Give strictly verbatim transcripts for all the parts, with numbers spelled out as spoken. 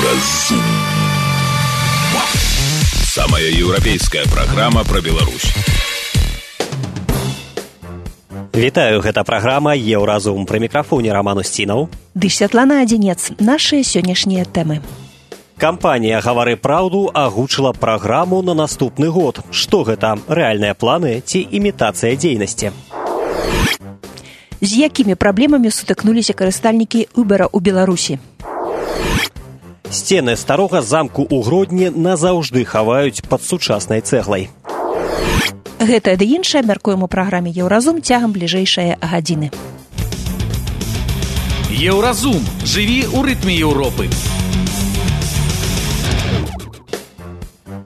Еўразум. Самая еўрапейская праграма пра Беларусь. Вітаю, гэта праграма «Еўразум». Пры мікрафоне Роман Устінаў. Ды Святлана Адзінец. Нашыя сённяшнія тэмы. Кампанія «Гавары праўду» агучыла праграму на наступны год. Што гэта? Рэальныя планы ці імітацыя дзейнасці? З якімі праблемамі сутыкнуліся карыстальнікі Uber у Беларусі? Сцены старога замку ў Гродні назаўжды хаваюць пад сучаснай цэглай. Гэта ды іншае мяркуем у праграме «Еўразум» цягам бліжэйшае гадзіны. Еўразум. Жыві ў рытме Еўропы.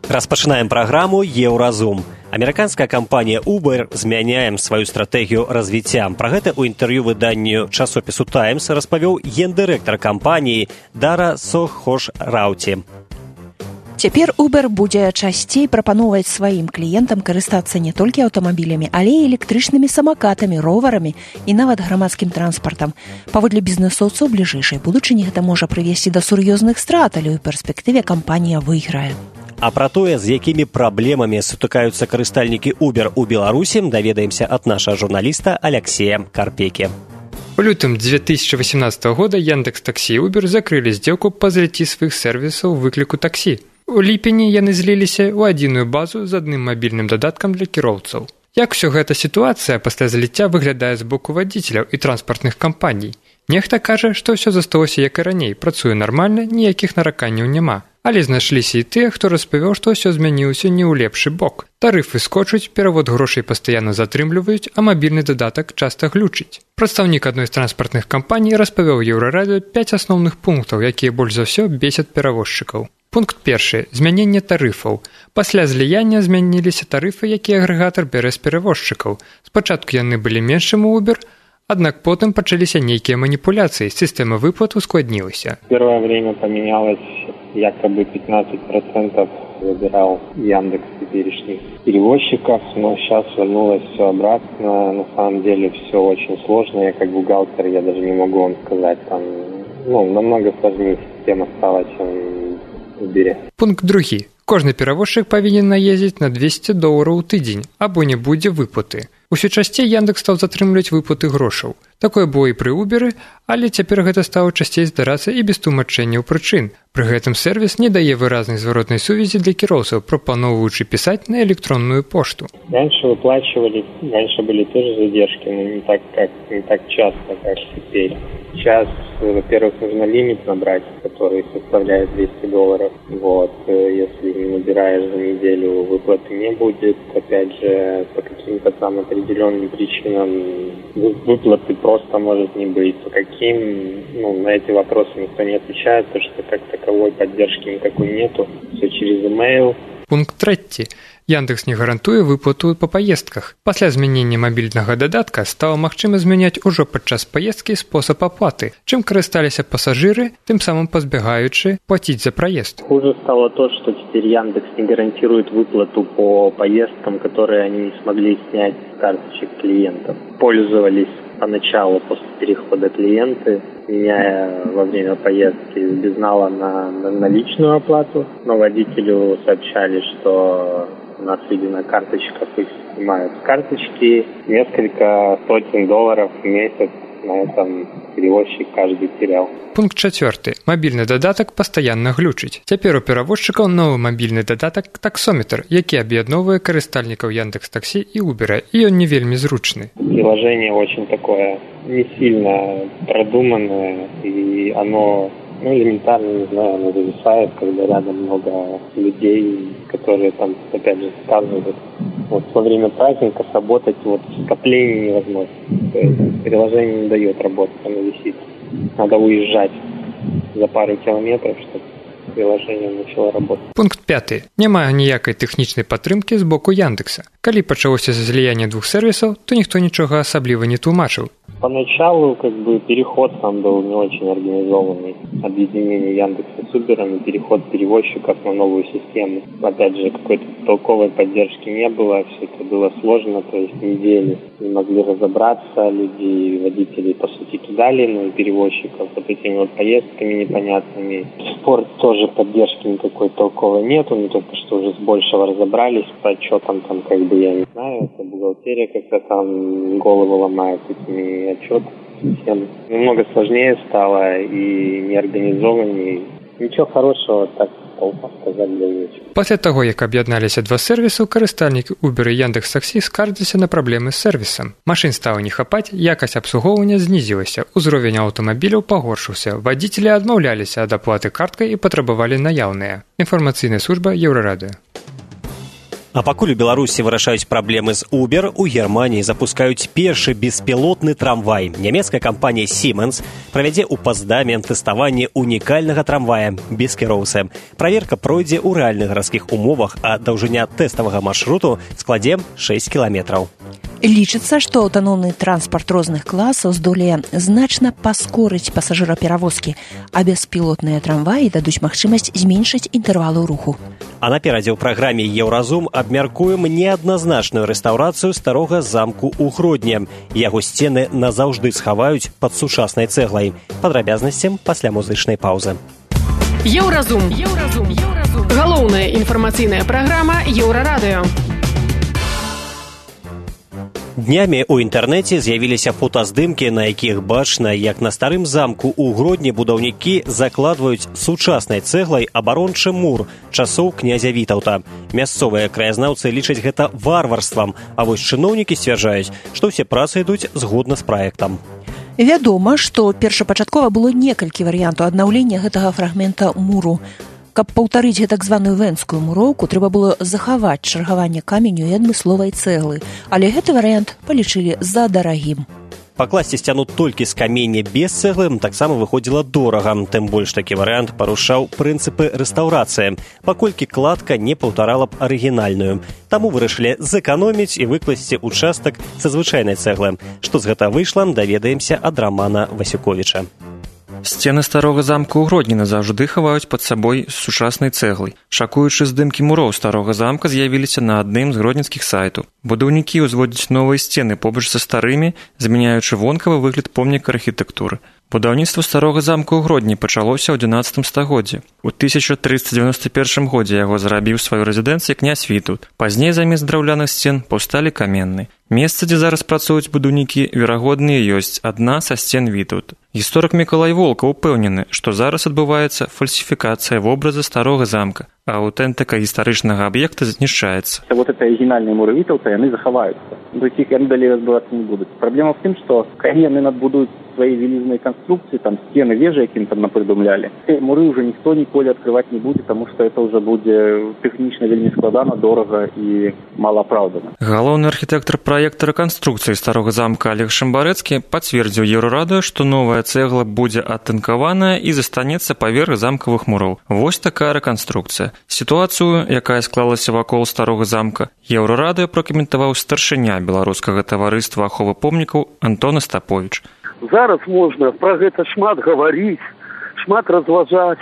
Распачынаем праграму «Еўразум». Амерыканская кампанія Uber змяняем сваю стратэгію развіцця. Пра гэта ў інтэрв'ю выданню часопісу «Таймс» распавёў гендырэктар кампаніі Дара Сохош-Рауці. Цяпер Uber будзе часцей прапаноўваць сваім кліентам карыстацца не толькі аўтамабілямі, але і электрычнымі самакатамі, роварамі і нават грамадскім транспартам. Паводле бізнэсоўцаў, бліжэйшай будучыні гэта можа прывесці да сур'ёзных страт, але ў перспектыве кампанія выйграе. А пра тое, з якімі праблемамі сутыкаюцца карыстальнікі Uber у Беларусі, даведаемся ад нашага журналіста Алексея Карпекі. У лютым две тысячи восемнадцатого года Яндекс.Такси и Uber закрылі здзелку па зліцці сваіх сервісаў выкліку таксі. У ліпені яны зліліся ў адзіную базу з адным мабільным дадаткам для кіроўцаў. Як усё гэта сітуацыя пасля зліцця выглядае з боку вадзіцеляў і транспартных кампаній? Нехта кажа, што ўсё засталося як і раней, працуе нармальна, ніякіх нараканняў няма. Але знайшліся і тыя, хто распавёў, што ўсё змяніўся не ў лепшы бок. Тарыфы скочуць, перавод грошай пастаянна затрымліваюць, а мабільны дадатак часта глючыць. Прадстаўнік адной з транспартных кампаній распавёў Еўрарадыё пяць асноўных пунктаў, якія больш за ўсё бесяць перавозчыкаў. Пункт першы. Змяненне тарыфаў. Пасля зліяння змяніліся тарыфы, якія агрэгатар бярэ з перавозчыкаў. Спачатку яны былі меншым у Uber, аднак потым пачаліся нейкія маніпуляцыі, сістэма выплат ускладнілася. Первое время поменялось, якобы пятнадцать процентов выбирал Яндекс теперешних перевозчиков, но сейчас вернулось все обратно. На самом деле все очень сложно, я как бухгалтер, я даже не могу вам сказать, там, ну, намного сложнее система стала, чем в Uber. Пункт другі. Кожны перавозчык павінен наездзіць на двести долараў у тыдзень, або не будзе выплаты. Усё часцей Яндекс стаў затрымліваць выплаты грошаў. Такое было і пры Uber, але цяпер гэта стала часцей здарацца і без тлумачэнняў прычын. Пры гэтым сервіс не дае выразнай зваротнай сувязі для кіроўцаў, прапаноўваючы пісаць на электронную пошту. Раньше выплачивали, раньше были тоже задержки, но не так, как, не так часто, как теперь. Сейчас, во-первых, нужно лимит набрать, который составляет двести долларов. Вот, если не набираешь за неделю, выплаты не будет. Опять же, по каким-то там определенным причинам выплаты просто может не быть. По каким, ну, на эти вопросы никто не отвечает, потому что как таковой поддержки никакой нету. Все через email. Пункт трэці. Яндекс не гарантуе выплату па паездках. Пасля змянення мабільнага дадатка стала магчыма змяняць ужо падчас паездкі спосаб аплаты. Чым карысталіся пасажыры, тым самым пазбягаючы плаціць за проезд. Хуже стало то, что теперь Яндекс не гарантирует выплату по поездкам, которые они не смогли снять с карточек клиентов. Пользовались поначалу после перехода клиенты, меняя во время поездки с безнала на, на наличную оплату, но водителю сообщали, что у нас, видимо, карточках их снимают с карточки, несколько сотен долларов в месяц. На этом перевозчик каждый терял. Пункт чацвёрты. Мабільны дадатак пастаянна глючыць. Цяпер у перавозчыкаў новы мабільны дадатак таксометр, які аб'ядноўвае карыстальнікаў Яндекс.Такси и Uber, і ён не вельмі зручны. Приложение очень такое не сильно продуманное, и оно, ну, элементарно, не знаю, оно зависает, когда рядом много людей, которые там, опять же, сказывают. Вот во время праздника сработать вот скопление невозможно. То есть приложение не дает работать, оно висит. Надо уезжать за пару километров, чтобы приложение начало работать. Пункт пяты. Няма ніякай тэхнічнай падтрымкі з боку Яндекса. Калі пачалося зліянне двух сервісаў, то ніхто нічога асабліва не тлумачыў. Поначалу как бы переход там был не очень организованный. Объединение Яндекса с Uber и переход перевозчиков на новую систему. Опять же, какой-то толковой поддержки не было, все это было сложно, то есть недели не могли разобраться, люди, водители по сути кидали, ну и перевозчиков вот этими вот поездками непонятными. Спорт тоже поддержки никакой толковой нету, мы только что уже с большего разобрались, по отчетам там как бы я не знаю, это бухгалтерия как-то там голову ломает этими отчетами. Всем немного сложнее стало и неорганизованнее. Ничего хорошего так сказать для нечего. Пасля таго, як аб'ядналіся два сервісу, карыстальнікі Uber і Яндекс.Таксі скардзіліся на праблемы з сервісам. Машын стала не хапаць, якасць абслугоўвання знізілася, узровень аўтамабіляў пагоршыўся, вадзіцелі адмаўляліся ад аплаты карткай і патрабавалі наяўныя. Інфармацыйная служба Еўрарадыё. А пакуль у Беларусі вырашаюць праблемы з Uber, у Германіі запускаюць першы беспілотны трамвай. Нямецкая кампанія Siemens правядзе ў Паздаме тэставанне унікальнага трамвая без кіроўцы. Праверка пройдзе ў рэальных гарадскіх умовах, а даўжыня тэставага маршруту складзе шэсць кіламетраў. Лічыцца, што аўтаномны транспарт розных класаў здолее значна паскорыць пасажыраперавозкі, а беспілотныя трамваі дадуць магчымасць зменшыць інтэрвалы руху. А наперадзе ў праграме «Еўразум» абмяркуем неадназначную рэстаўрацыю старога замку ў Гродні. Яго сцены назаўжды схаваюць пад сучаснай цэглай. Падрабязнасцям пасля музычнай паўзы. Еўразум. Еўразум. Еўразум. Галоўная інфармацыйная праграма Еўрарадыё. Днямі ў інтэрнэце з'явіліся фотаздымкі, на якіх бачна, як на старым замку ў Гродні будаўнікі закладваюць сучаснай цэглай абарончы мур часоў князя Вітаўта. Мясцовыя краязнаўцы лічаць гэта варварствам, а вось чыноўнікі сцвярджаюць, што ўсе працы ідуць згодна з праектам. Вядома, што першапачаткова было некалькі варыянтаў аднаўлення гэтага фрагмента муру. Каб паўтарыць гэтак званую венскую муроўку, трэба было захаваць чаргаванне каменю і адмысловай цэглы, але гэты варыянт палічылі за дарагім. Пакласці сцяну толькі з камення без цэглы таксама выходзіла дорага, тым больш такі варыянт парушаў прынцыпы рэстаўрацыі, паколькі кладка не паўтарала б арыгінальную. Таму вырашылі зэканоміць і выкласці участак са звычайнай цэглы. Што з гэта выйшла, даведаемся ад Рамана Васюковіча. Сцены старога замка ў Гродні назаўжды хаваюць пад сабой сучаснай цэглай. Шакуючы здымкі муроў старога замка з'явіліся на адным з гродненскіх сайтаў. Будаўнікі ўзводзяць новыя сцены побач са старымі, змяняючы вонкавы выгляд помніка архітэктуры. Будаўніцтва старога замка ў Гродні пачалося ў адзінаццатым стагоддзі. У тысяча трыста дзевяноста першым годзе яго зрабіў сваю рэзідэнцыю князь Вітаўт. Пазней замест драўляных сцен паўсталі каменныя. Месца, дзе зараз працуюць будаўнікі, верагодныя ёсць адна са сцен Вітаўта. Гісторык Мікалай Волка ўпэўнены, што зараз адбываецца фальсіфікацыя вобраза старога замка, а аўтэнтыка гістарычнага аб'екта знішчаецца. Вот это арыгінальныя муры Вітаўта, яны захаваюцца. До іх яны далей разбывацца не будуць. Праблема в тым, што калі яны надбудуюць свои велизные конструкции, там стены, вежи, каким там напридумляли. Муры уже никто николи открывать не будет, потому что это уже будет технично вельми складано, дорого и малоправдано. Галоўны архітэктар праекта рэканструкцыі старога замка Олег Шамбарэцкі пацвердзіў Еўрарадыё, што новая цэгла будзе атынкаваная і застанецца паверх замкавых муроў. Вось такая рэканструкцыя. Сітуацыю, якая склалася вакол старога замка, Еўрарадыё пракаментаваў старшыня беларускага таварыства аховы помнікаў Антон Остапович. Зараз можна пра гэта шмат гаварыць, шмат разважаць,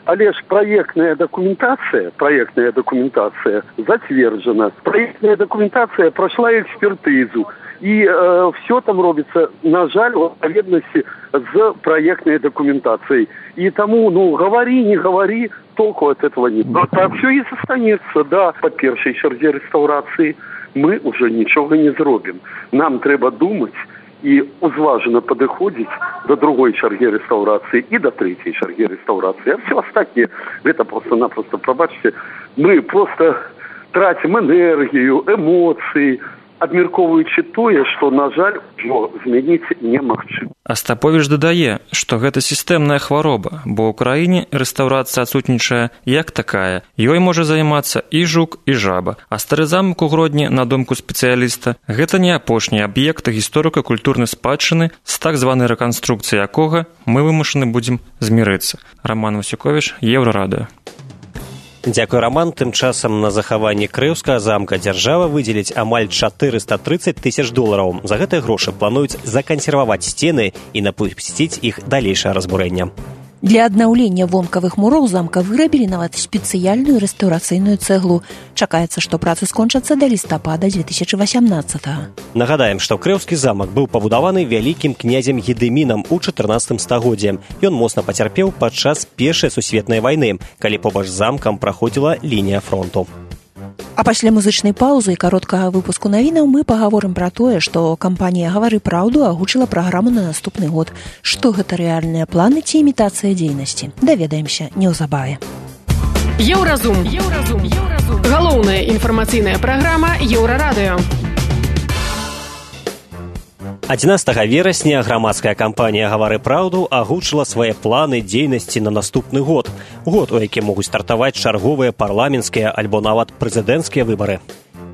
але ж праектная дакументацыя, праектная дакументацыя зацверджана. Праектная дакументацыя прайшла экспертызу, і э, все там робіцца, на жаль, у адпаведнасці з праектнай дакументацыяй. І таму, ну, гаварі, не гаварі, толку от этого нет. Но так все і застанецца, да, па першай чарзе рэстаўрацыі мы уже нічога не зробім. Нам трэба думаць і узважена падыходзіць до другой чаргі рэстаўрацыі і до трэцяй чаргі рэстаўрацыі. А все астатніе, гэта просто-напросто, прабачце, мы просто трацім энергію, эмоцыі, абмяркоўваючы тое, што, на жаль, ужо змяніць немагчыма. Остапович дадае, што гэта сістэмная хвароба, бо ў краіне рэстаўрацыя адсутнічае як такая. Ёй можа займацца і жук, і жаба. А стары замак у Гродні, на думку спецыяліста, гэта не апошні аб'ект гісторыка-культурнай спадчыны, з так званай рэканструкцыяй якога мы вымушаны будзем змірыцца. Раман Васюковіч, Еўрарадыё. Дзякуй, Роман. Тым часам на захаванне Крыўскага замка дзяржава выдзеліць амаль чатырыста трыццаць тысяч долараў. За гэтыя грошы плануюць закансерваваць сцены і напусціць іх далейшае разбурэнне. Для аднаўлення вонкавых муроў замка вырабілі нават спецыяльную рэстаўрацыйную цэглу. Чакаецца, што працы скончацца да лістапада дзве тысячы васямнаццатага. Нагадаем, што Крыўскі замак быў пабудаваны вялікім князем Гедымінам у чатырнаццатым стагоддзі. Ён моцна пацярпеў падчас Першай сусветнай вайны, калі побач з замкам праходзіла лінія фронту. А пасля музычнай паўзы і кароткага выпуску навінаў мы пагаворым пра тое, што кампанія «Гавары праўду» агучыла праграму на наступны год. Што гэта рэальныя планы ці імітацыя дзейнасці? Даведаемся неўзабаве. Еўразум. Еўразум. Еўразум. Галоўная інфармацыйная праграма Еўрарадыё. адзінаццатага верасня грамадская кампанія «Гавары праўду» агучыла свае планы дзейнасці на наступны год. Год, у якім могуць стартаваць чарговыя парламенцкія альбо нават прэзідэнцкія выбары.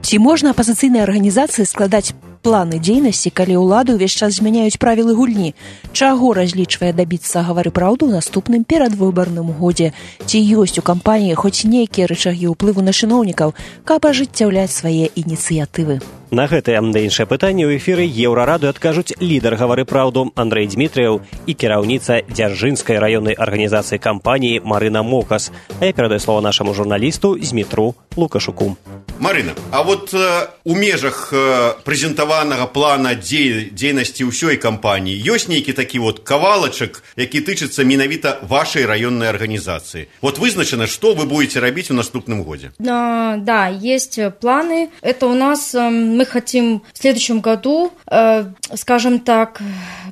Ці можна апазіцыйнай арганізацыі складаць планы дзейнасці, калі ўлады ўвесь час змяняюць правілы гульні? Чаго разлічвае дабіцца «Гавары праўду» ў наступным перадвыбарным годзе? Ці ёсць у кампаніі хоць нейкія рычагі ўплыву на чыноўнікаў, каб ажыццяўляць свае ініцыятывы? На гэтае да іншае пытанне ў эфіры Еўрарадыё адкажуць лідар «Гавары праўду» Андрэй Дмітрыяў і кіраўніца Дзяржынскай раённай арганізацыі кампаніі Марына Мокас. А я перадаю слова нашаму журналісту Змітру Лукашуку. Марына, а вот э, у межах э, прэзентаванага плана дзей, дзейнасці ўсёй кампаніі ёсць нейкі такі вот кавалачак, які тычыцца менавіта вашай раённай арганізацыі. Вот вызначана, што вы будете рабіць у наступным годзе? Да, да, есть планы. Это у нас э, мы хотим в следующем году, э, скажем так,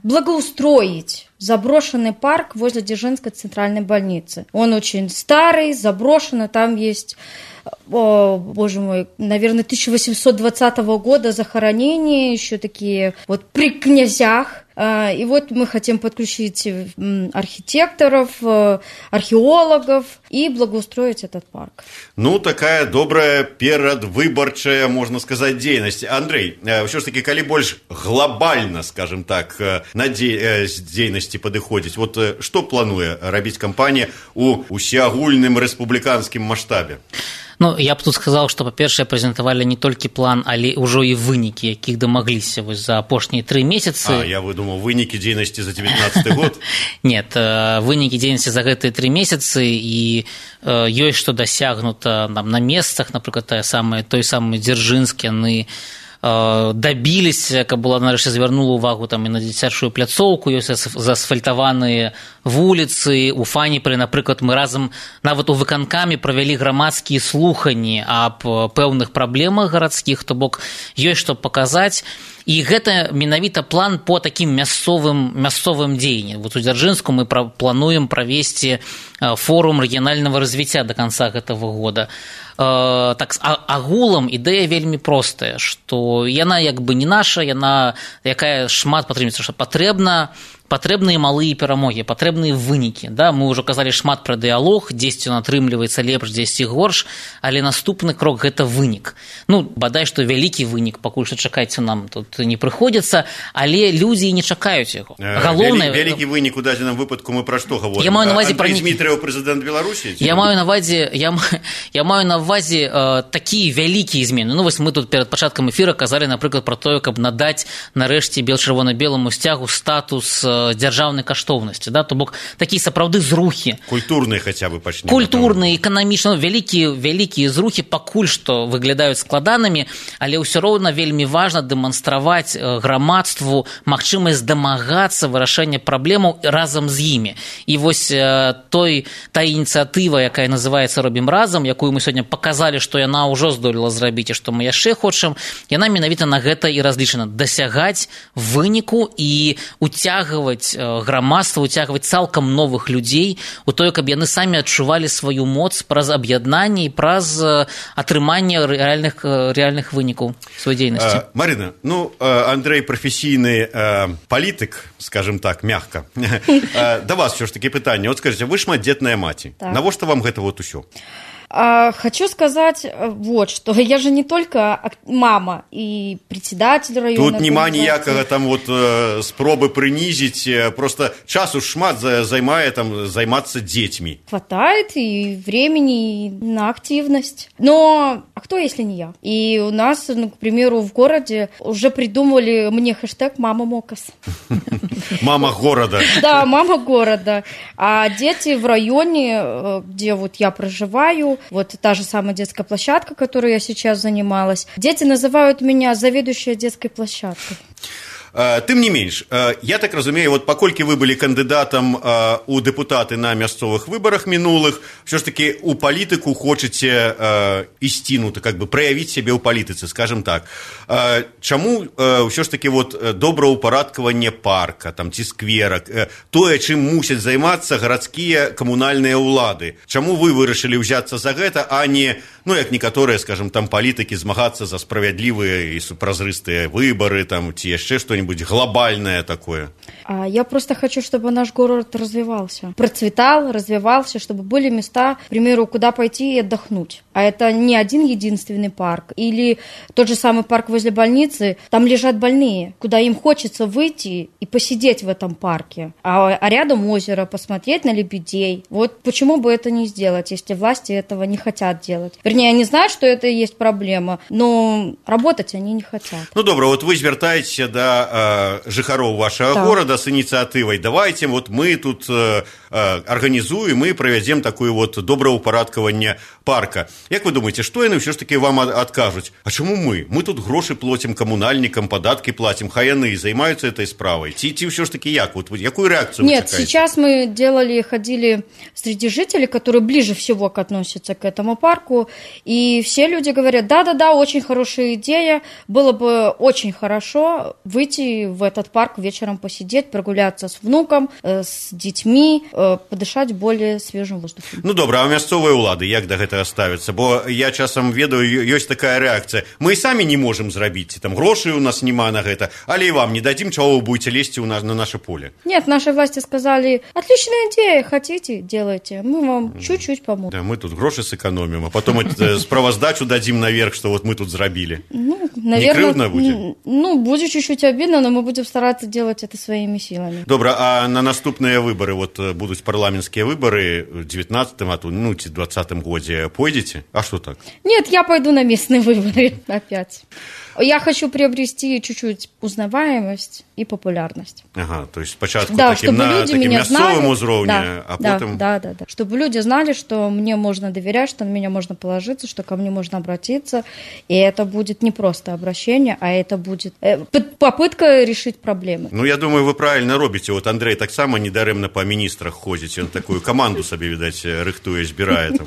благоустроить заброшенный парк возле Дзержинской центральной больницы. Он очень старый, заброшенный, там есть... О, боже мой, наверное, тысяча восемьсот двадцатого года захоронения, еще такие вот при князях. И вот мы хотим подключить архитекторов, археологов и благоустроить этот парк. Ну, такая добрая перадвыбарчая, можно сказать, дзейнасць. Андрей, ўсё ж таки, калі больш глобальна, скажем так, на дзейнасці падыходзіць, вот што плануе рабіць кампанія у усеагульным рэспубліканскім маштабе? Ну, я б тут сказаў, што, па-першае, прэзентавалі не толькі план, але ўжо і вынікі, якіх дамагліся вось за апошнія тры месяцы. А, я выдумаў, вынікі дзейнасці за девятнадцатый год? Нет, вынікі дзейнасці за гэтыя тры месяцы, і ёсць што дасягнута на месцах, напрыклад, той самы Дзяржынскі, яны дабіліся, каб была нарэшце звярнула ўвагу там і на дзіцячую пляцоўку, ёсць заасфальтаваныя вуліцы. У Фаніпры, напрыклад, мы разам нават у выканкаме правялі грамадскія слуханні аб пэўных праблемах гарадскіх, то бок ёсць што паказаць. І гэта менавіта план по такім мясцовым, мясцовым дзеянням. Вот у Дзяржынску мы пра, плануем правесці форум рэгіянальнага развіцця да канца гэтага года. Э, так, а, агулам ідэя вельмі простая, што яна як бы не наша, яна якая шмат патрымецца, што патрэбна патрэбныя малыя перамогі, патрэбныя вынікі. Да? Мы ўжо казалі шмат пра дыялог, дзесьці ён атрымліваецца лепш, дзесьці горш, але наступны крок – гэта вынік. Ну, бадай, што вялікі вынік, пакуль што чакайце нам тут не прыходзіцца, але людзі не чакаюць яго. Галоўнае... Вялікі вынік у дадзеным выпадку мы пра што гаворым? Я маю на ўвазе пра... Андрэй Дмітрыяў, прэзідэнт Беларусі? Я маю на ўвазе, я, я маю на ўвазе э, такія вялікія змены. Ну, вось мы тут перад пачаткам эфіра казалі, напрыклад, пра тое, каб надаць нарэшце бел-чырвона-беламу сцягу статус дзяржаўнай каштоўнасці, да? То бок такія сапраўды зрухі. Культурныя хаця бы пачнем. Культурныя, эканамічныя, вялікія, вялікія зрухі пакуль што выглядаюць складанымі, але ўсё роўна вельмі важна дэманстраваць грамадству магчымасць дамагацца вырашэння праблемаў разам з імі. І вось той, та ініцыятыва, якая называецца «Робім разам», якую мы сёння паказалі, што яна ўжо здолела зрабіць і што мы яшчэ хочам, яна менавіта на гэта і разлічана. Дасягаць выніку і уцягваць грамадства, уцягваць цалкам новых людзей у тое, каб яны самі адчувалі сваю моц праз аб'яднанне і праз атрыманне рэальных, рэальных вынікаў сваёй дзейнасці. Марына, ну, Андрэй прафесійны палітык, скажем так, мягка. Да вас ўсё ж такі пытанне. Вот скажите, вы шматдзетная маці. Так. Навошта вам гэта вот усё? А, хочу сказать вот что. Я же не только мама и председатель района. Тут нема ніякага там вот э, спробы прынізіць, просто часу шмат займае там займацца детьми. Хватает и времени на активность. Но а кто, если не я? И у нас, ну, к примеру, в городе уже придумали мне хэштег «Мама Мокас». Мама города. Да, мама города. А дети в районе, где вот я проживаю, вот та же самая детская площадка, которой я сейчас занималась, дети называют меня заведующая детской площадкой. Тым не менш, я так разумею, вот паколькі вы былі кандыдатам у дэпутаты на мясцовых выбарах мінулых, все ж таки у палітыку хочаце ісці, ну, как бы праявіць сябе ў палітыцы, скажем так. Чаму ўсё ж таки вот добраўпарадкаванне парка, там, ці скверак, тое, чым мусяць займацца гарадскія камунальныя ўлады? Чаму вы вырашылі ўзяцца за гэта, а не, ну, як некаторыя, скажем, там, палітыкі змагацца за справядлівыя і празрыстыя выбары, там, ці яшчэ што-нибудь глобальное такое? Я просто хочу, чтобы наш город развивался, процветал, развивался, чтобы были места, к примеру, куда пойти и отдохнуть. А это не один единственный парк. Или тот же самый парк возле больницы, там лежат больные, куда им хочется выйти и посидеть в этом парке. А, а рядом озеро, посмотреть на лебедей. Вот почему бы это не сделать, если власти этого не хотят делать? Вернее, они знают, что это и есть проблема, но работать они не хотят. Ну, добро, вот вы звяртаецеся да жыхароў вашага да. горада с ініцыятывай. Давайте вот мы тут э, организуем и проведем такое вот добраўпарадкаванне парка. Як вы думаете, что яны все ж таки вам откажут? А чему мы? Мы тут гроши платим коммунальникам, податки платим, хай яны займаются этой справой. Ти, ти все ж таки як? Вот, якую реакцию Нет, вы чекаете? Сейчас мы делали, ходили среди жителей, которые ближе всего относятся к этому парку, и все люди говорят, да-да-да, очень хорошая идея, было бы очень хорошо выйти в этот парк вечером посидеть, прогуляться с внуком, с детьми, подышать более свежим воздухом. Ну добра, а мясцовыя ўлады як да гэтага ставяцца? Бо я часам ведаю, ёсць такая реакция. Мы и сами не можем зрабіць, там грошей у нас нема на гэта, але и вам не дадим, чего вы будете лезть у нас на наше поле. Нет, наши власти сказали, отличная идея, хотите, делайте, мы вам чуть-чуть поможем. Да, мы тут гроши сэкономим, а потом справаздачу дадим наверх, что вот мы тут зрабили. Ну, наверное, не крыўдна будзе? Ну, будет чуть-чуть обидно, но мы будем стараться делать это своими силами. Добра, а на наступные выборы, вот будут парламентские выборы в девятнадцатом, а то, ну, в двадцатом годзе пойдете? А что так? Нет, я пойду на местные выборы опять. Я хочу приобрести чуть-чуть узнаваемость и популярность. Ага, то есть спочатку да, таким, на, таким мясцовым уровне, да, а да, потом... Да, да, да. Чтобы люди знали, что мне можно доверять, что на меня можно положиться, что ко мне можно обратиться. И это будет не просто обращение, а это будет попытка решить проблемы. Ну, я думаю, вы правильно робите. Вот Андрей так само недаремно по министрах ходите. Он такую команду себе, видать, рыхтуе, збирает.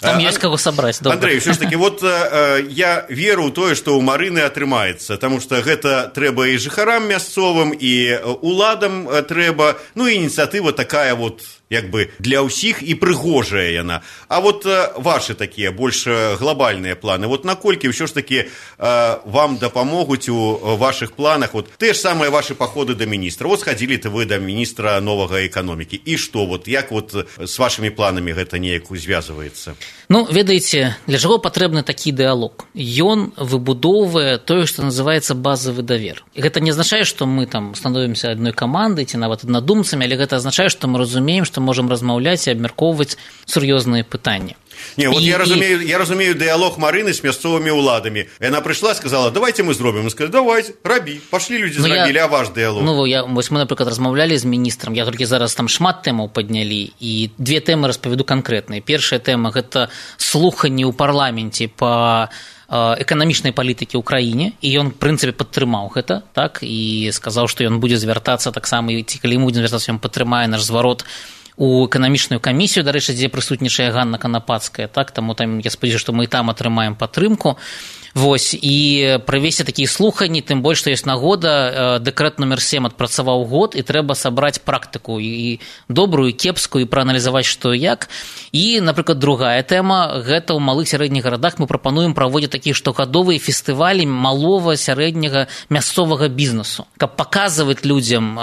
Там а, есть кого собрать. Добра. Андрей, все ж таки, вот э, я веру ў тое, што ў Марыны атрымаецца, потому что гэта трэба і жыхарам мясцовым, і уладам трэба, ну, і ініцыятыва такая вот, як бы для ўсіх і прыгожая яна. А вот э, ваши такія больш глобальныя планы, вот наколькі ўсё ж таки э, вам дапамогуць у ваших планах, вот те ж самыя ваши походы до міністра. Вот сходили-то вы до міністра новага эканомікі. І што, вот як вот с вашими планами гэта неяк звязваецца? Ну, ведаеце, для чаго патрэбны такі дыалог? Ён выбудоўвае тое, што называецца базавы давер. І гэта не азначае, што мы там становімся адной камандай ці нават аднадумцамі, але гэта азначае, што мы разумеем, што можам размаўляць і абмяркоўваць сур'ёзныя пытанні. Не, вот и, я, разумею, и... я разумею диалог Марыны с мясцовыми уладами. И она пришла, сказала, давайте мы зробим. И сказали, давайте, раби. Пошли люди ну, зрабілі, я... а ваш диалог? Ну, я, вось мы, напрыклад, размаўлялі з міністрам. Я толькі зараз там шмат тэмаў паднялі. І две тэмы распавяду канкрэтныя. Першая тэма – гэта слуханні ў парламенце па эканамічнай палітыкі ў краіне, і ён, в прынцыпе, падтрымаў гэта, так, і сказаў, што ён будзе звяртацца таксама, і ці калі мы будзем звяртацца, ён падтрымае наш зварот у эканамічную камісію, дарэчы, дзе прысутнічае Ганна Канапацкая, так, таму там я спадзяюся, што мы і там атрымаем падтрымку. Вось, і правесці такія слуханні, тым больш, што ёсць нагода, дэкрэт нумер сем адпрацаваў год, і трэба сабраць практыку і добрую, і кепскую, і прааналізаваць, што і як. І, напрыклад, другая тэма, гэта ў малых сярэдніх гарадах мы прапануем праводзіць такія штогадовыя фестывалі малого, сярэдняга, мясцовага бізнесу, каб паказваць людзям,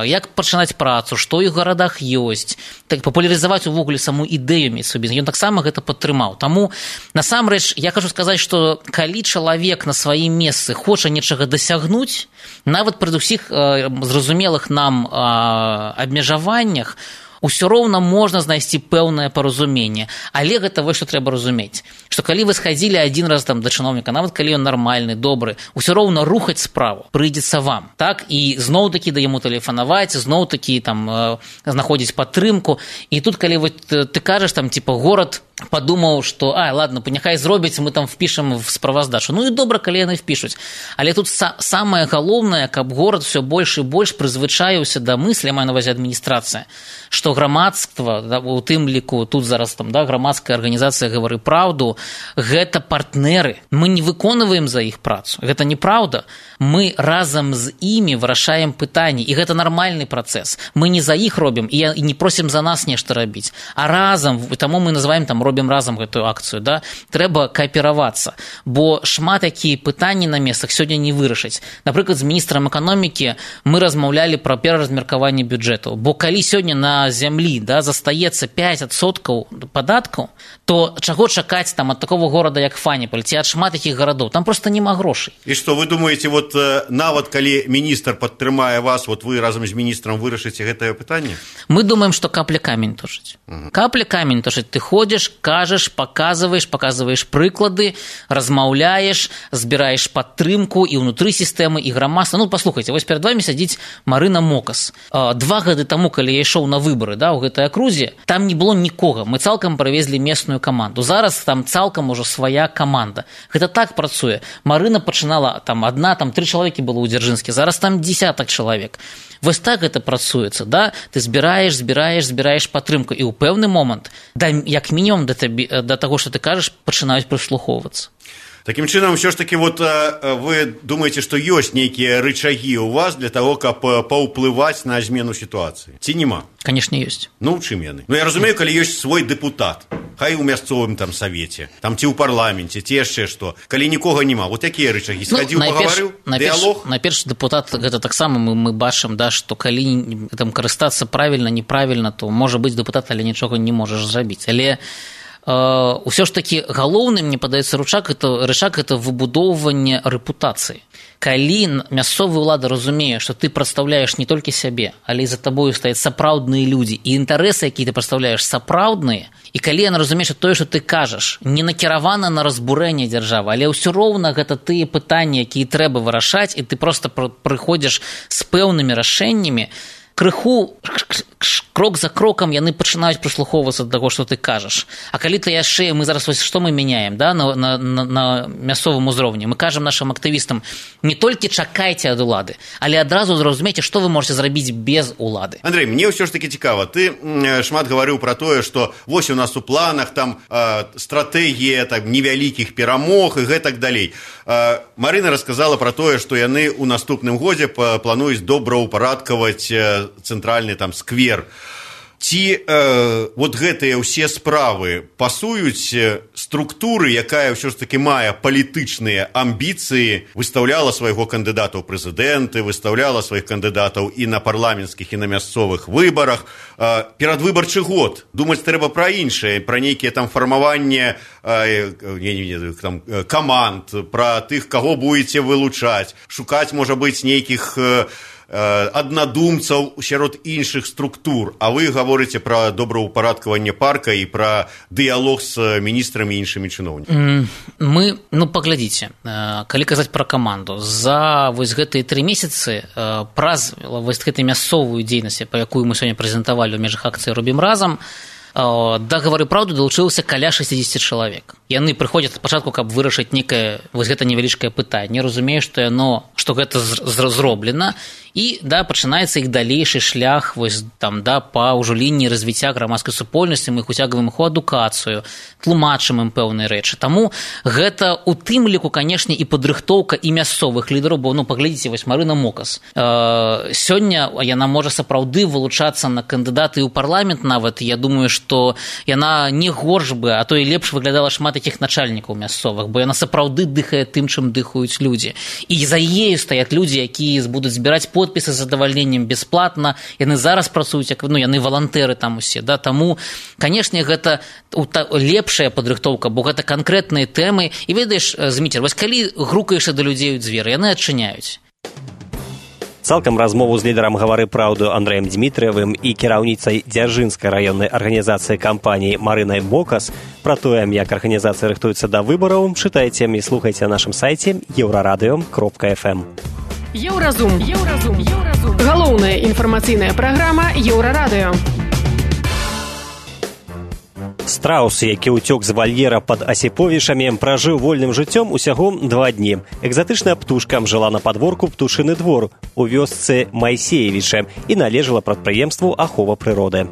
як пачынаць працу, што ў гарадах ёсць, так папулярызаваць увогуле саму ідэю мець свой бізнес. Ён таксама гэта падтрымаў. Таму, насамрэч, я хачу сказаць, што калі чалавек на сваім месцы хоча нечага дасягнуць, нават пры ўсіх зразумелых нам абмежаваннях, усё роўна можна знайсці пэўнае паразуменне. Але гэта вось што трэба разумець, што калі вы схадзілі адзін раз там да чыноўніка, нават калі ён нармальны, добры, усё роўна рухаць справу прыйдзецца вам. Так? І зноў-такі да яму тэлефанаваць, зноў-такі там знаходзіць падтрымку. І тут, калі вы, ты кажаш, там, типа, горад падумаў, што, а, ладно, няхай зробіць, мы там впішам в справаздачу. Ну і добра, калі яны впішуць. Але тут са- самае галоўнае, каб горад все больш і больш прызвычаіўся да мыслі, я маю на ўвазе адміністрацыя, што грамадства, да, у тым ліку, тут зараз там, да, грамадская арганізацыя «Гавары праўду», гэта партнеры. Мы не выконваем за іх працу. Гэта неправда. Мы разам з імі вырашаем пытанні, і гэта нармальны працэс. Мы не за іх робім і не просім за нас нешта рабіць, а разам, таму мы называем там робім разам гэтую акцыю, да? Трэба кааперавацца, бо шмат якія пытанні на месцах сёння не вырашаць. Напрыклад, з міністрам эканомікі мы размаўлялі пра пераразмеркаванне бюджэту, бо калі сёння на зямлі, да, застаецца пяць адсоткаў падаткаў, то чаго чакаць там ад такого горада, як Фаніпаль, ці ад шмат якіх гарадоў? Там проста няма грошай. І што, вы думаеце, вот нават калі міністр падтрымае вас, вот вы разам з міністрам вырашыце гэтае пытанне? Мы думаем, што капля камень тушыць. Угу. Капля камень тушыць. Ты ходзіш, кажаш, паказваеш, паказваеш прыклады, размаўляеш, збіраеш падтрымку і ўнутры сістэмы, і грамадства. Ну, паслухайце, вось перад вамі сядзіць Марына Мокас. Два гады таму, калі я ішоў на выбары, да, у гэтай акрузе, там не было нікога. Мы цалкам правезлі местную каманду. Зараз там цалкам ужо свая каманда. Гэта так працуе. Марына пачынала, там адна, там тры чалавекі было ў Дзяржынскі, зараз там дзесятак чалавек. Вось так гэта працуецца, да? Ты збіраеш, збіраеш, збіраеш падтрымку, і ў пэўны момант, да, як мінімум да, табе, да таго, што ты кажаш, пачынаюць прыслухоўвацца. Такім чынам, ўсё ж такі, вот, вы думаеце, што ёсць нейкія рычагі ў вас для таго, каб паўплываць на змену сітуацыі? Ці няма? Канешне, ёсць. Ну, у чым яны? Ну, я разумею, калі ёсць свой дэпутат, хай у мясцовым там савеце, там ці ў парламенце, ці яшчэ што. Калі нікога няма, вот якія рычагі? Схадзіў, ну, пагаварыў, дыялог? Найперш, дэпутат, гэта таксама мы, мы бачым, да, што калі там карыстацца правільна, неправільна, то можа быць дэпутат, але нічога не можаш зрабіць. Але ўсё ж такі галоўны, мне падаецца, рычаг это, рычаг это выбудоўванне рэпутацыі. Калі мясцовая ўлада разумее, што ты прадстаўляеш не толькі сябе, але і за табою стаяць сапраўдныя людзі, і інтарэсы, якія ты прадстаўляеш, сапраўдныя, і калі яна разумее, што тое, што ты кажаш, не накіравана на разбурэнне дзяржавы, але ўсё роўна гэта тыя пытанні, якія трэба вырашаць, і ты проста прыходзіш з пэўнымі рашэннямі, крыху крок за крокам яны пачынаюць прыслухоўвацца да таго, што ты кажаш. А калі ты яшчэ, мы зараз вось што мы мяняем, да, на, на, на, на мясцовым узроўні, мы кажам нашым актывістам, не толькі чакайце ад улады, але адразу зразумейце, што вы можете зрабіць без улады. Андрей, мне ўсё ж такі цікава, ты шмат гаварыў пра тое, што вось у нас у планах там э, стратэгія там невялікіх перамог і гэтак далей. Э, Марына расказала пра тое, што яны ў наступным годзе плануюць добраўпарадкаваць э, цэнтральны там сквер. Ці э, вот гэтыя ўсе справы пасуюць структуры, якая ўсё ж такі мае палітычныя амбіцыі, выстаўляла свайго кандыдата ў прэзідэнты, выстаўляла сваіх кандыдатаў і на парламенцкіх, і на мясцовых выбарах. Э, перадвыбарчы год. Думаць трэба пра іншае, пра нейкія там фармаванне э, не, не, не, там, каманд, пра тых, каго будзеце вылучаць, шукаць, можа быць, нейкіх э, аднадумцаў сярод іншых структур, а вы гаворыце пра добраўпарадкаванне парка і пра дыялог з міністрамі і іншымі чыноўнікамі. Мы, ну, паглядзіце, калі казаць пра каманду, за вось гэтыя тры месяцы праз вось гэтай мясцовую дзейнасць, па якую мы сёння прэзентавалі ў межах акцыі «Робім разам», да «Гавары праўду» далучылася каля шэсцьдзесят чалавек. Яны прыходзяць спачатку, каб вырашыць некае вось гэта невялічкае пытанне, разумею, што яно, што гэта зроблена, і да, пачынаецца іх далейшы шлях вось, там, да, па ўжо лініі развіцця грамадскай супольнасці, мы іх уцягваем іх у адукацыю, тлумачым ім пэўныя рэчы. Таму гэта у тым ліку, канешне, і падрыхтоўка і мясцовых лідараў, бо, ну, паглядзіце, вось Марына Мокас. Э, сёння яна можа сапраўды вылучацца на кандыдаты ў парламент нават. Я думаю, што яна не горш бы, а то і лепш выглядала шмат такіх начальнікаў мясцовых, бо яна сапраўды дыхае тым, чым дыхаюць людзі. І за ею стаяць людзі, якія будуць збіраць подпісы з задавальненнем бясплатна. Яны зараз працуюць, як, ну, яны валантэры там усе. Да? Таму, канешне, гэта лепшая падрыхтоўка, бо гэта канкрэтныя тэмы. І ведаеш, Зміцер, вось калі грукаешся да людзей у дзверы, яны адчыняюць. Цалкам размову з лідарам «Гавары праўду» Андрэем Дмітрыевым і кіраўніцай Дзяржынскай раённай арганізацыі кампаніі Марынай Мокас пра тое, як арганізацыя рыхтуецца да выбараў, чытайце і слухайце на нашым сайце еўрарадыё кропка эф эм. Еўразум. Еўразум. Еўразум. Галоўная інфармацыйная праграма Еўрарадыё. Страус, які ўцёк з вальера пад Асіповішамі, пражыў вольным жыццём усяго два дні. Экзатычная птушка жыла на падворку «Птушыны двор» у вёсцы Майсеевіча і належала прадпрыемству ахова прыроды.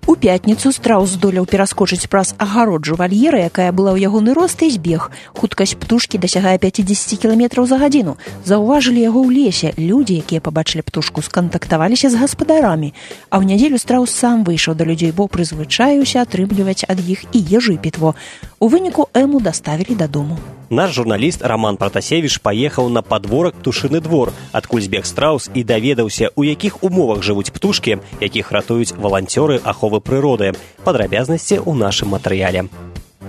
У пятніцу страус здолеў пераскочыць праз агароджу вальера, якая была ў ягоны рост, і збег. Хуткасць птушкі дасягае пяцьдзесят кіламетраў за гадзіну. Заўважылі яго ў лесе. Людзі, якія пабачылі птушку, скантактаваліся з гаспадарамі. А ў нядзелю страус сам выйшаў да людзей, бо прызвычаюся атрымліваць ад іх і ежу, і пітво. У выніку эму даставілі дадому. Наш журналіст Роман Пратасевіч паехаў на падворак «Птушыны двор», адкуль збег страус, і даведаўся, у якіх умовах жывуць птушкі, якіх ратуюць валанцёры аховы прыроды. Падрабязнасці ў нашым матэрыяле.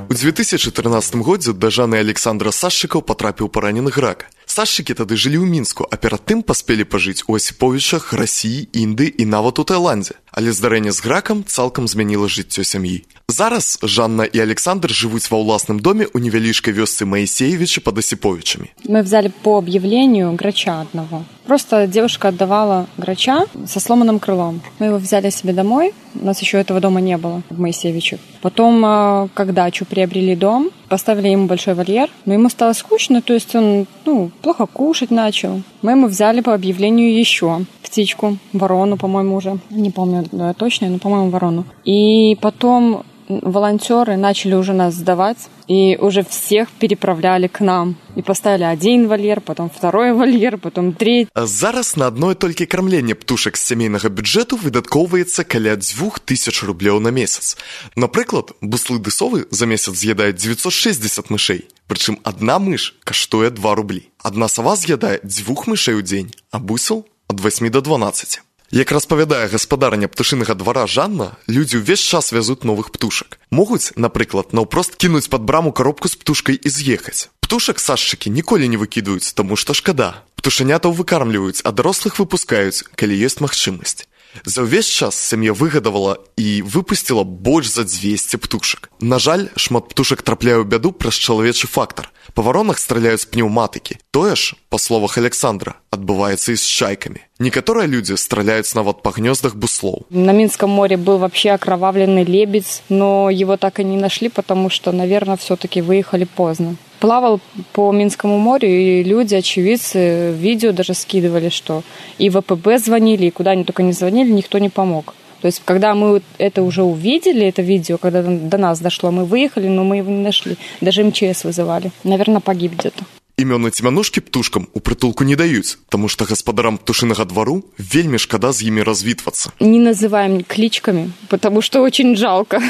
У две тысячи тринадцатым годзе да жаны Александра Сашчыкаў патрапіў паранены грак. Сашчыкі тады жылі ў Мінску, а перад тым паспелі пажыць у Асіповішах, Расіі, Індыі і нават у Таіландзе. Але здарэнне з гракам цалкам змяніла жыццё сям'і. Зараз Жанна и Александр живут во властном доме у невеличкой вёсцы Моисеевича под Осиповичами. Мы взяли по объявлению грача одного. Просто девушка отдавала грача со сломанным крылом. Мы его взяли себе домой. У нас еще этого дома не было в Моисеевичах. Потом, когда дачу приобрели дом, поставили ему большой вольер. Но ему стало скучно, то есть он ну, плохо кушать начал. Мы ему взяли по объявлению еще птичку, ворону, по-моему, уже. Не помню да, точно, но, по-моему, ворону. И потом волонтеры начали уже нас сдавать, и уже всех переправляли к нам. И поставили один вольер, потом второй вольер, потом третий. Зараз на одно толькі кормление птушек з сямейнага бюджету выдаткоўваецца каля двух тысяч рублёў на месяц. Напрыклад, буслы ды совы за месяц з'ядаюць девятьсот шестьдесят мышей. Прычым одна мыш каштуе два рублі. Одна сова з'ядае дзвюх мышей у дзень, а бусел ад восьмі до дванаццаці. Як распавядае гаспадарня птушынага двара Жанна, людзі ўвесь час вязуць новых птушак. Могуць, напрыклад, наўпрост кінуць пад браму коробку з птушкай і з'ехаць. Птушак сашчыкі ніколі не выкідаюць, таму што шкада. Птушанятаў выкармліваюць, а дарослых выпускаюць, калі ёсць магчымасць. За ўвесь час сям'я выгадавала і выпусціла больш за дзвесце птушак. На жаль, шмат птушак трапляе ў бяду праз чалавечы фактар. Па варонах страляюць пнеўматыкі. Тое ж, па словах Александра, адбываецца і з чайкамі. Некаторыя людзі страляюць нават па гнёздах буслоў. На Минском море был вообще окровавленный лебедь, но его так и не нашли, потому что, наверное, все-таки выехали поздно. Плавал по Минскому морю, и люди, очевидцы, видео даже скидывали, что и в ВПБ звонили, и куда они только не звонили, никто не помог. То есть, когда мы это уже увидели, это видео, когда до нас дошло, мы выехали, но мы его не нашли. Даже эм че эс вызывали. Наверное, погиб где-то. Імёны цьмянушкі птушкам у прытулку не даюць, таму што гаспадарам птушынага двару вельмі шкада з імі развітвацца. Не называем кличками, потому что очень жалко.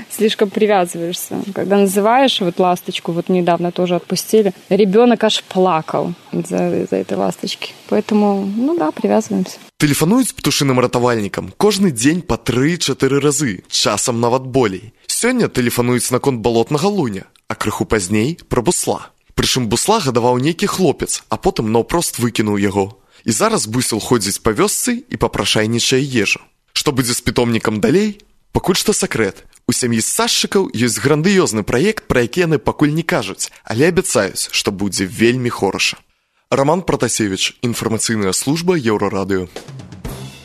Слишком привязываешься. Когда называешь вот ласточку, вот недавно тоже отпустили, ребенок аж плакал из-за, из-за этой ласточки. Поэтому, ну да, привязываемся. Тэлефануюць птушыным ратавальнікам кожны дзень па тры-чатыры разы, часам нават болей. Сёння тэлефануюць наконт балотнага луня, а крыху пазней пра бусла. Прычым бусла гадаваў нейкі хлопец, а потым наўпрост выкінуў яго. І зараз бусел ходзіць па вёсцы і папрашайнічае ежу. Што будзе з пітомнікам далей? Пакуль што сакрэт. У сям'і сашчыкаў ёсць грандыёзны праект, пра які яны пакуль не кажуць, але абяцаюць, што будзе вельмі хораша. Роман Пратасевіч, інфармацыйная служба Еўрарадыё.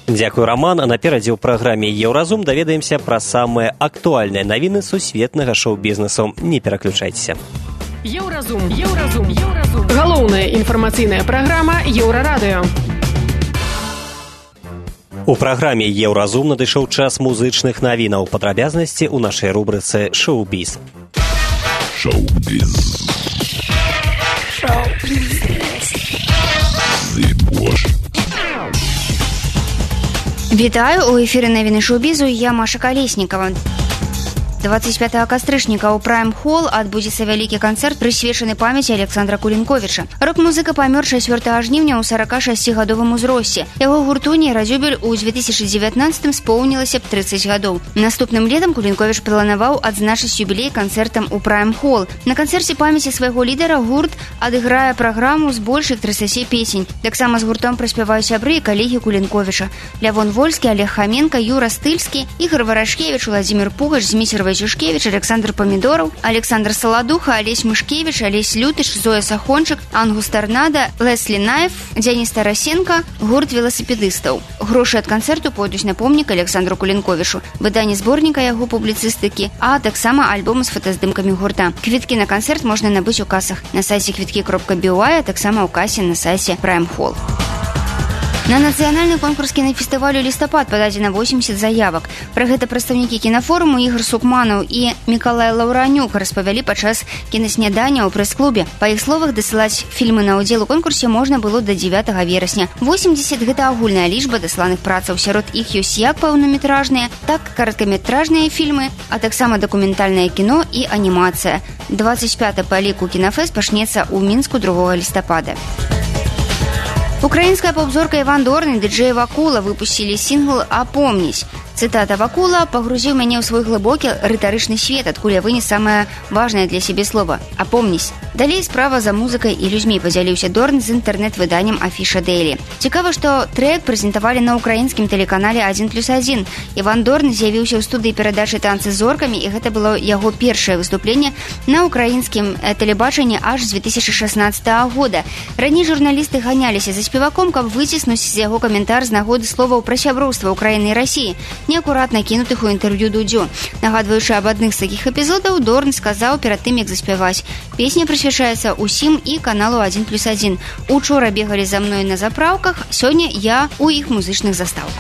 Дзякуй, Роман. А наперадзе ў праграме «Еўразум» даведаемся пра самыя актуальныя навіны сусветнага шоу-бізнесу. Не пераключайцеся. Еўразум, Еўразум, Еўразум. Галоўная інфармацыйная праграма Еўрарадыё. У праграме «Еўразум» надышоў час музычных навінаў. Падрабязнасці ў нашай рубрыцы «Шоу-біз». Шоу-біз. Вітаю, у эфіры навіны шоу-бізу, я Маша Калеснікава. двадцать пятого кастрычніка ў Prime Hall адбудзецца вялікі канцэрт, прысвечаны памяці Александра Кулінковіча. Рок-музыка памёр чацвёртага жніўня ў сорокашасцігадовым узросце. Яго гурту «Нейразюбель» у две тысячи девятнадцатым споўнілася б тридцать гадоў. Наступным летам Кулінковіч планаваў адзначыць юбілей канцэртам у Prime Hall. На канцэрце памяці свайго лідара гурт адыграе праграму з больш як трыццаці песень. Таксама з гуртом праспяваюць сябры і калегі Кулінковіча: Лявон Вольскі, Олег Хаменка, Юра Стыльскі, Ігор Варашкевіч, Владзімир Пугач, Зміцер Вайцюшкевич, Александр Помидоров, Александр Солодуха, Олесь Мышкевич, Олесь Лютыш, Зоя Сахончик, Ангус Торнадо, Лесли Наев, Денис Тарасенко, гурт велосипедистов. Грошы ад канцэрту пойдуць на помнік Александру Кулінковічу, выданне зборніка яго публіцыстыкі, а таксама альбом з фотаздымкамі гурта. Квіткі на канцэрт можна набыць у касах на сайце квіткі кропка би ой, а таксама ў касе на сайце Prime Hall. На нацыянальны конкурс кінафестывалю «Лістапад» пададзена восемьдесят заявак. Пра гэта прадстаўнікі кінафоруму Ігор Сукманаў і Мікалай Лаўранюк распавялі падчас кінаснядання ў прэс-клубе. Па іх словах, дасылаць фільмы на ўдзел у конкурсе можна было да дзевятага верасня. восемьдесят – гэта агульная лічба дасланых працаў. Сярод іх ёсць як паўнаметражныя, так кароткаметражныя фільмы, а таксама дакументальнае кіно і анімацыя. двадцать пяты па ліку кінафэст пачнецца ў Мінску другога лістапада. Украинская поп-зорка Іван Дорн і ди-джей Вакула выпусцілі сінгл «Апомнісь». Цытата Вакула: «Пагрузіў мяне ў свой глыбокі рытарычны свет, адкуль я вынес самае важнае для сябе слова – апомнісь». Далей справа за музыкай і людзьмі, падзяліўся Дорн з інтэрнэт-выданнем Афіша Дэйлі. Цікава, што трэк прэзентавалі на украінскім тэлеканале адзін плюс адзін. Іван Дорн з'явіўся ў студыі перадачы «Танцы з зоркамі», і гэта было яго першае выступленне на украінскім тэлебачанні аж з две тысячи шестнадцатого года. Раней журналісты ганяліся за спеваком, каб выціснуць з яго каментар з нагоды словаў пра сяброўства Украіны і Расіі, неакуратна кінутых у інтэрв'ю Дудзю. Нагадваючы аб адных з такіх эпізодаў, Дорн сказаў перад тым, як заспяваць: «Песня прысвячаецца ўсім і каналу адзін плюс адзін. Учора бегалі за мной на запраўках, сёння я ў іх музычных застаўках».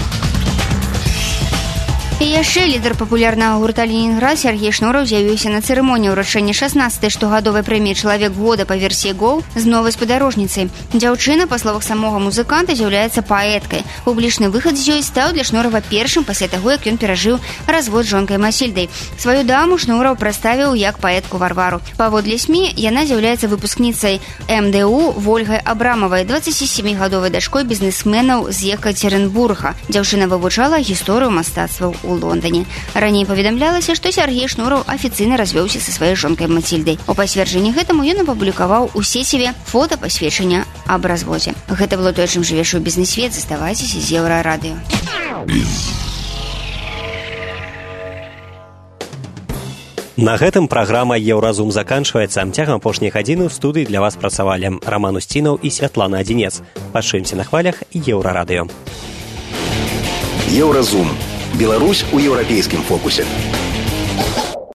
І яшчэ лідар папулярнага гурта «Ленінград» Сергей Шнураў з'явіўся на цырымоніі ўручэння шаснаццатай штогадовай прэміі «Чалавек года» па версіі «Гоу» з новай спадарожніцай. Дзяўчына, па словах самога музыканта, з'яўляецца паэткай. Публічны выхад з ёй стаў для Шнурава першым пасля таго, як ён перажыў развод з жонкай Масільдай. Сваю даму Шнураў прадставіў як паэтку Варвару. Паводле СМІ, яна з'яўляецца выпускніцай эм дэ у Вольгай Абрамавай, дваццацісямігадовай дачкой бізнесменаў з Екатеринбурга. Дзяўчына вывучала гісторыю мастацтваў у Лондоне. Раней паведамлялася, што Сергей Шнураў афіцыйна развёўся са сваёй жонкай Мацільдай. У пацверджанні гэтаму ён апублікаваў у сеціве фота пасведчання аб разводзе. Гэта было тое, чым жыве шоу-бізнес-свет. Заставайцеся з Еўрарадыё. На гэтым праграма «Еўразум» заканчваецца. Цягам апошняй гадзіны ў студыі для вас працавалі Раман Усцінаў і Святлана Адзінец. Пачуемся на хвалях Еўрарадыё. Еўразум. Беларусь у еўрапейскім фокусе.